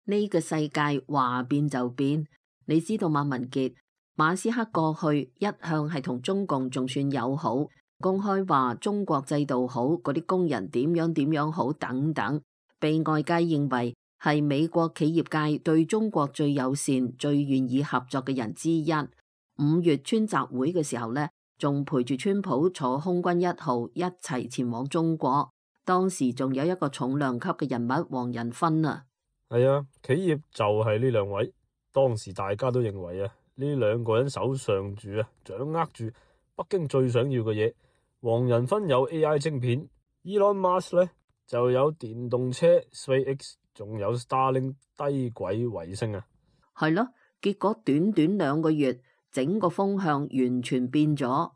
呢個世界話變就變，你知道嗎，文傑？馬斯克過去一向係同中共仲算友好，公開話中國制度好，嗰啲工人點樣好等等，被外界認為係美國企業界對中國最友善、最願意合作嘅人之一。5月川習會嘅時候呢，仲陪住川普坐空軍1號一齊前往中國，當時仲有一個重量級嘅人物黃仁勳啊。係啊，企業就係呢兩位。當時大家都認為啊，呢兩個人手上掌握住北京最想要嘅嘢。黃仁勳有 AI 晶片，Elon Musk 呢就有電動車 SpaceX， 仲有 Starlink 低軌衛星啊。係咯，結果短短2個月，整個風向完全變咗。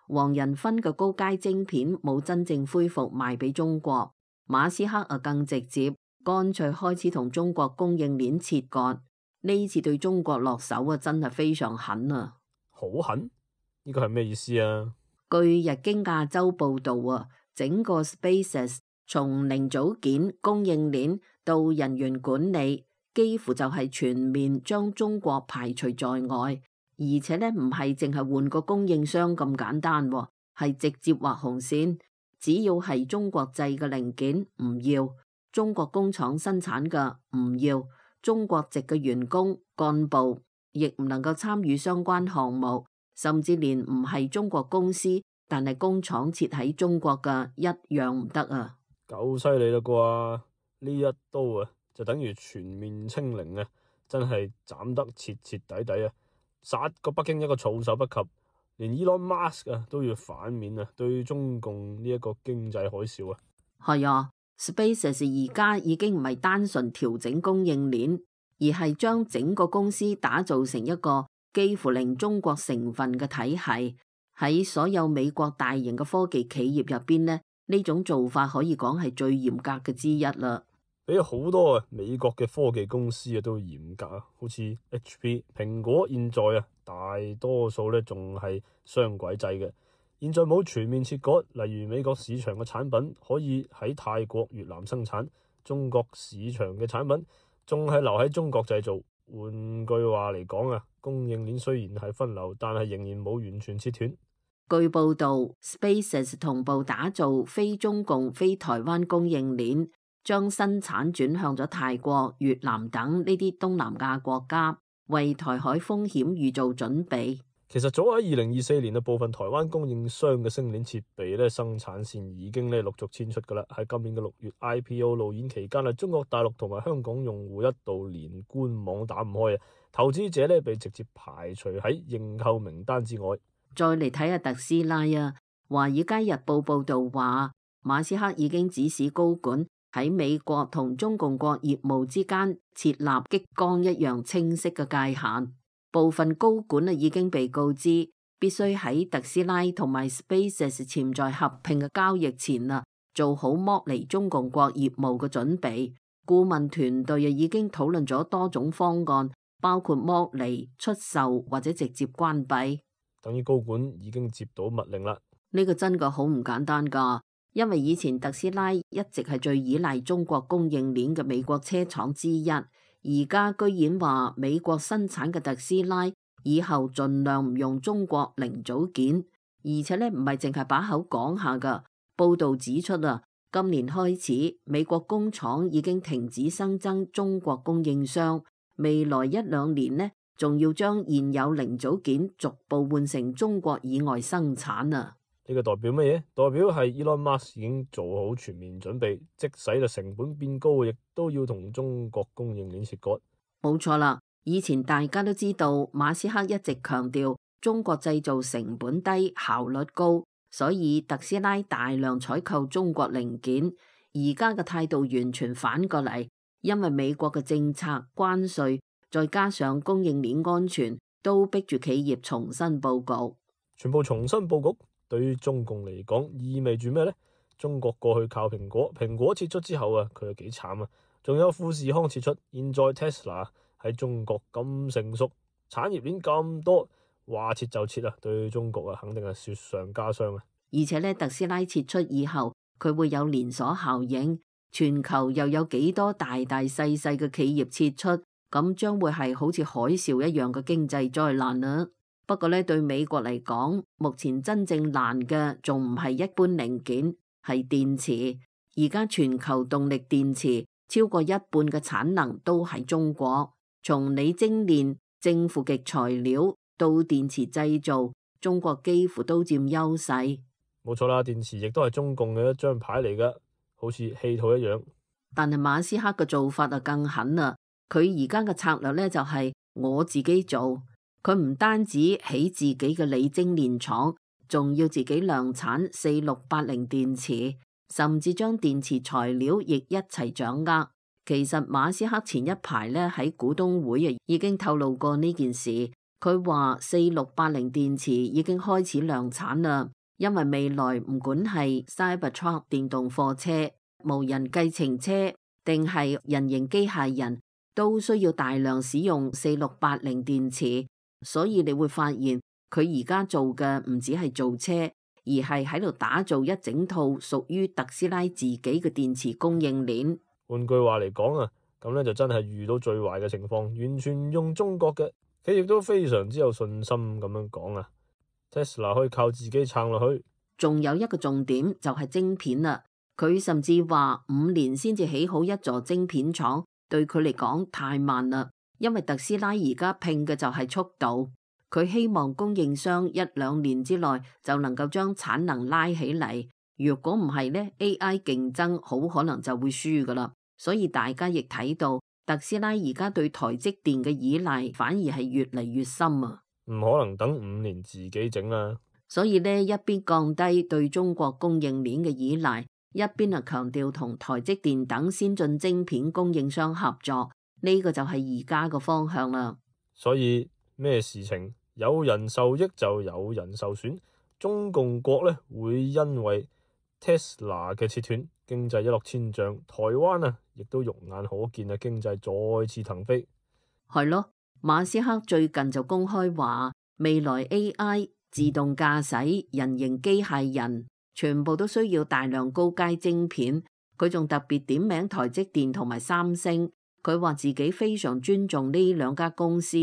黃仁勳嘅高階晶片冇真正恢復賣俾中國，馬斯克啊更直接。乾脆開始同中國供應鏈切割，呢次對中國落手啊，真係非常狠啊！好狠？呢個係咩意思啊？據日經亞洲報道啊，整個 SpaceX 從零組件、供應鏈到人員管理，幾乎就係全面將中國排除在外，而且呢唔係淨係換個供應商咁簡單，係直接畫紅線，只要係中國製嘅零件唔要。中國工廠生產嘅唔要，中國籍嘅員工幹部亦唔能夠參與相關項目，甚至連唔係中國公司但係工廠設喺中國嘅一樣唔得啊！夠犀利啦啩！呢一刀啊，就等於全面清零啊！真係斬得徹徹底底啊！殺個北京一個措手不及，連 Elon Musk 啊都要反面啊，對中共呢一個經濟海嘯啊！係啊。SpaceX 而家已經唔係單純調整供應鏈，而係將整個公司打造成一個幾乎零中國成分嘅體系。喺所有美國大型嘅科技企業入邊呢種做法可以講係最嚴格嘅之一啦。比好多美國嘅科技公司啊都嚴格啊，好似 HP、蘋果，現在啊大多數仲係雙軌制嘅。現在冇全面切割，例如美國市場嘅產品可以喺泰國、越南生產，中國市場嘅產品仲係留喺中國製造。換句話嚟講啊，供應鏈雖然係分流，但係仍然冇完全切斷。據報道 ，SpaceX 同步打造非中共、非台灣供應鏈，將生產轉向咗泰國、越南等呢啲東南亞國家，為台海風險預做準備。其實早喺2024年部分台灣供應商嘅星鏈設備生產線已經陸續遷出噶啦。喺今年嘅6月 IPO 路演期間中國大陸同埋香港用戶一度連官網打唔開啊，投資者被直接排除喺認購名單之外。再嚟睇下特斯拉啊，華爾街日報報道話，馬斯克已經指使高管喺美國同中共國業務之間設立激光一樣清晰嘅界限。部分高管已經被告知必須喺特斯拉同埋 SpaceX 潛在合併嘅交易前做好剝離中共國業務嘅準備。顧問團隊已經討論咗多種方案，包括剝離、出售或者直接關閉。等於高管已經接到密令啦。呢個真嘅好唔簡單噶，因為以前特斯拉一直係最依賴中國供應鏈嘅美國車廠之一。而家居然話美國生產嘅特斯拉以後盡量唔用中國零組件，而且唔係淨係把口講下噶。報道指出今年開始美國工廠已經停止新增中國供應商，未來1-2年仲要將現有零組件逐步換成中國以外生產啊！呢個代表乜嘢？代表係 Elon Musk 已經做好全面準備，即使成本變高，亦都要同中國供應鏈切割。冇錯啦，以前大家都知道馬斯克一直強調中國製造成本低、效率高，所以特斯拉大量採購中國零件。而家嘅態度完全反過嚟，因為美國嘅政策、關稅，再加上供應鏈安全，都逼住企業重新佈局。全部重新佈局。對於中共嚟講，意味住咩呢？中國過去靠蘋果，蘋果撤出之後佢又幾慘啊！仲有富士康撤出，現在 Tesla 喺中國咁成熟，產業鏈咁多，話撤就撤對中國肯定係雪上加霜啊！而且特斯拉撤出以後，佢會有連鎖效應，全球又有幾多大大細細嘅企業撤出，咁將會係好似海嘯一樣嘅經濟災難啦。不過呢，對美國嚟講，目前真正難嘅仲唔係一般零件，係電池。而家全球動力電池超過一半嘅產能都係中國，從鋰精煉、正負極材料到電池製造，中國幾乎都佔優勢。冇錯啦，電池亦都係中共嘅一張牌嚟噶，好似稀土一樣。但係馬斯克嘅做法就更狠啦，佢而家嘅策略呢，就係我自己做。佢唔單止起自己嘅鋰精煉廠，仲要自己量產4680電池，甚至將電池材料亦一齊掌握。其實馬斯克前一排呢喺股東會已經透露過呢件事，佢話4680電池已經開始量產啦，因為未來唔管係 Cybertruck 電動貨車、無人計程車定係人形機械人，都需要大量使用4680電池。所以你會發現佢而家做嘅唔止係造車，而係喺度打造一整套屬於特斯拉自己嘅電池供應鏈。換句話嚟講啊，咁呢就真係遇到最壞嘅情況，完全用中國嘅企業都非常之有信心咁樣講啊。Tesla 可以靠自己撐落去。仲有一個重點就係晶片啦，佢甚至話5年先至起好一座晶片廠，對佢嚟講太慢啦。因為特斯拉而家拼嘅就係速度，佢希望供應商1-2年之內就能夠將產能拉起嚟。如果唔係呢 AI 競爭好可能就會輸噶啦。所以大家亦睇到特斯拉而家對台積電嘅依賴反而係越嚟越深啊！唔可能等5年自己整啦。所以呢，一邊降低對中國供應鏈嘅依賴，一邊啊強調同台積電等先進晶片供應商合作。呢個就係而家個方向啦。所以咩事情有人受益就有人受損。中共國呢會因為 Tesla 嘅切斷，經濟一落千丈。台灣啊，亦都肉眼可見啊，經濟再次騰飛。係咯，馬斯克最近就公開話，未來 AI、自動駕駛、人形機械人，全部都需要大量高階晶片。佢仲特別點名台積電同埋三星。佢話自己非常尊重呢兩家公司，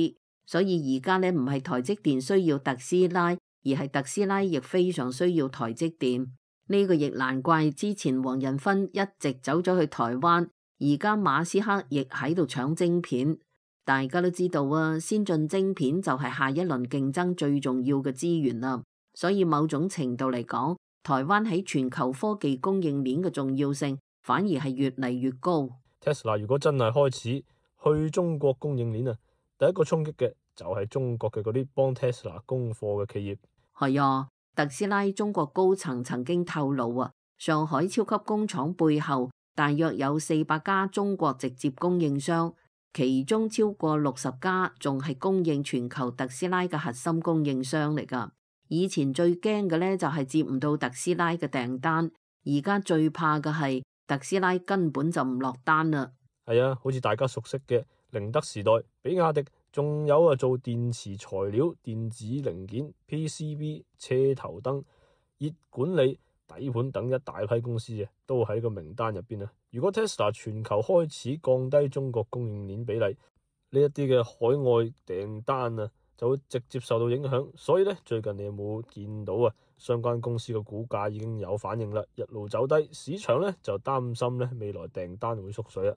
所以而家呢唔係台積電需要特斯拉，而係特斯拉亦非常需要台積電。呢個亦難怪之前黃仁勳一直走咗去台灣，而家馬斯克亦喺度搶晶片。大家都知道啊，先進晶片就係下一輪競爭最重要嘅資源啦。所以某種程度嚟講，台灣喺全球科技供應鏈嘅重要性反而係越嚟越高。Tesla 如果真係開始去中國供應鏈啊，第一個衝擊嘅就係中國嘅嗰啲幫 Tesla 供貨嘅企業。係啊，特斯拉中國高層曾經透露啊，上海超級工廠背後大約有400家中國直接供應商，其中超過60家仲係供應全球特斯拉嘅核心供應商嚟㗎。以前最驚嘅呢就係接唔到特斯拉嘅訂單，而家最怕嘅係特斯拉根本就唔落單啦。係啊，好似大家熟悉嘅寧德時代、比亞迪，仲有啊做電池材料、電子零件、PCB、車頭燈、熱管理、底盤等一大批公司啊，都喺個名單入邊啊。如果 Tesla 全球開始降低中國供應鏈比例，呢一啲嘅海外訂單啊，就會直接受到影響。所以呢，最近你有冇見到啊？相關公司嘅股價已經有反應啦，一路走低，市場呢就擔心呢未來訂單會縮水啦。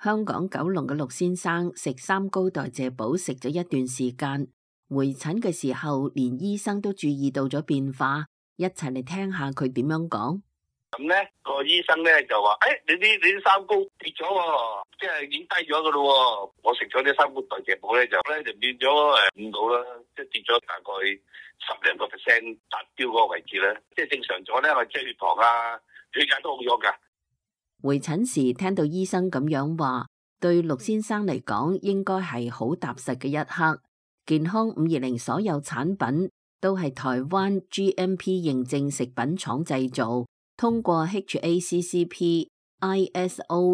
香港九龍嘅陸先生食3高代謝寶食咗一段時間，回診嘅時候連醫生都注意到咗變化，一齊嚟聽下佢點樣講。咁咧個醫生咧就話：你啲三高跌咗喎，即係已經低咗噶咯。我食咗啲三高代謝寶咧就變咗5度啦，即係跌咗大概10多個%達標嗰個位置咧，即係正常咗咧，我即係血糖啊、血壓都好咗噶。回診時聽到醫生咁樣話，對陸先生嚟講應該係好踏實嘅一刻。健康520所有產品都係台灣 GMP 認證食品廠製造，通過 HACCP、ISO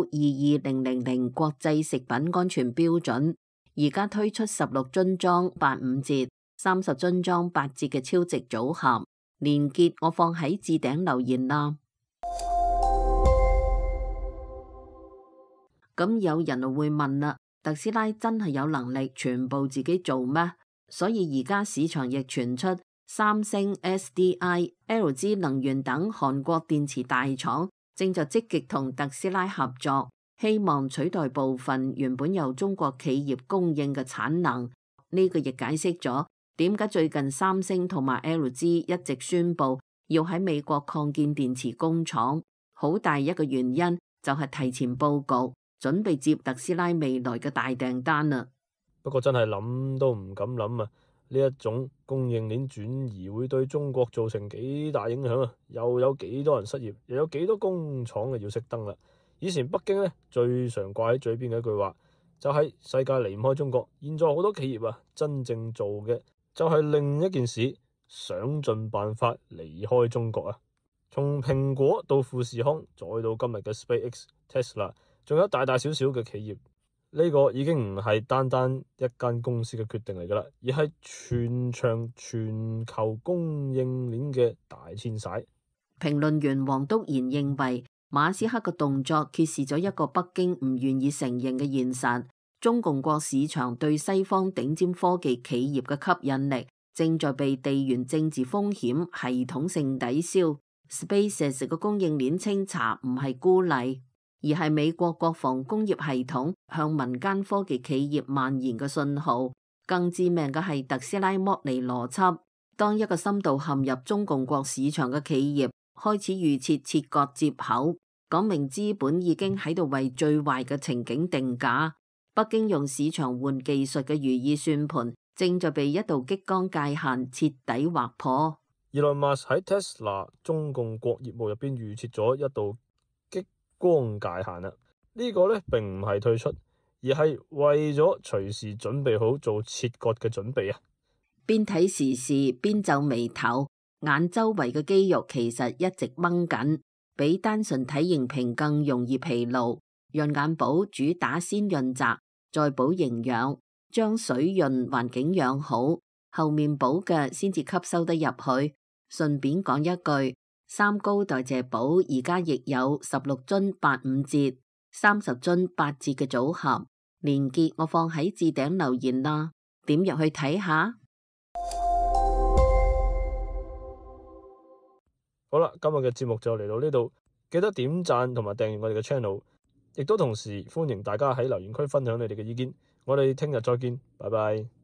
22000國際食品安全標準，而家推出16樽裝85折、30樽裝8折嘅超值組合，連結我放喺置頂留言啦。咁有人會問啦，特斯拉真係有能力全部自己做咩？所以而家市場亦傳出三星、SDI、LG 能源等韓國電池大廠正在積極同特斯拉合作，希望取代部分原本由中國企業供應嘅產能。呢個亦解釋咗點解最近三星同埋 LG 一直宣布要喺美國擴建電池工廠，好大一個原因就係提前佈局，準備接特斯拉未來嘅大訂單啦。不過真係諗都唔敢諗啊！呢一種供應鏈轉移會對中國造成幾大影響啊！又有幾多人失業，又有幾多工廠要熄燈啦。以前北京呢最常掛喺嘴邊嘅一句話就係世界離唔開中國。現在好多企業啊，真正做嘅就係另一件事，想盡辦法離開中國啊！從蘋果到富士康，再到今日嘅 SpaceX、Tesla， 仲有大大小小嘅企業，呢個已經唔係單單一間公司嘅決定嚟㗎啦，而係全場全球供應鏈嘅大遷徙。評論員黃篤賢認為，馬斯克嘅動作揭示咗一個北京唔願意承認嘅現實：中共國市場對西方頂尖科技企業嘅吸引力正在被地緣政治風險系統性抵消。SpaceX 嘅供應鏈清查唔係孤例，而係美國國防工業系統向民間科技企業蔓延嘅信號。更致命嘅係特斯拉剝離邏輯，當一個深度陷入中共國市場嘅企業開始預設切割接口，講明資本已經喺度為最壞嘅情景定價。北京用市場換技術嘅如意算盤正在被一道激光界限徹底劃破。Elon Musk 喺 Tesla 中共國業務入邊預設咗一道激光界限啦。呢個呢並唔係退出，而係為咗隨時準備好做切割嘅準備啊！邊睇時事邊皺眉頭，眼周圍嘅肌肉其實一直掹緊，比單純體型屏更容易疲勞。潤眼寶主打先潤澤，再補營養，將水潤環境養好，後面補嘅先至吸收得入去。順便講一句，三高代謝寶而家亦有16樽85折、30樽8折嘅組合，連結我放喺置頂留言啦，點入去睇下。好啦，今日嘅節目就嚟到呢度，記得點讚同埋訂閱我哋嘅 channel， 亦都同時歡迎大家喺留言區分享你哋嘅意見。我哋聽日再見，拜拜。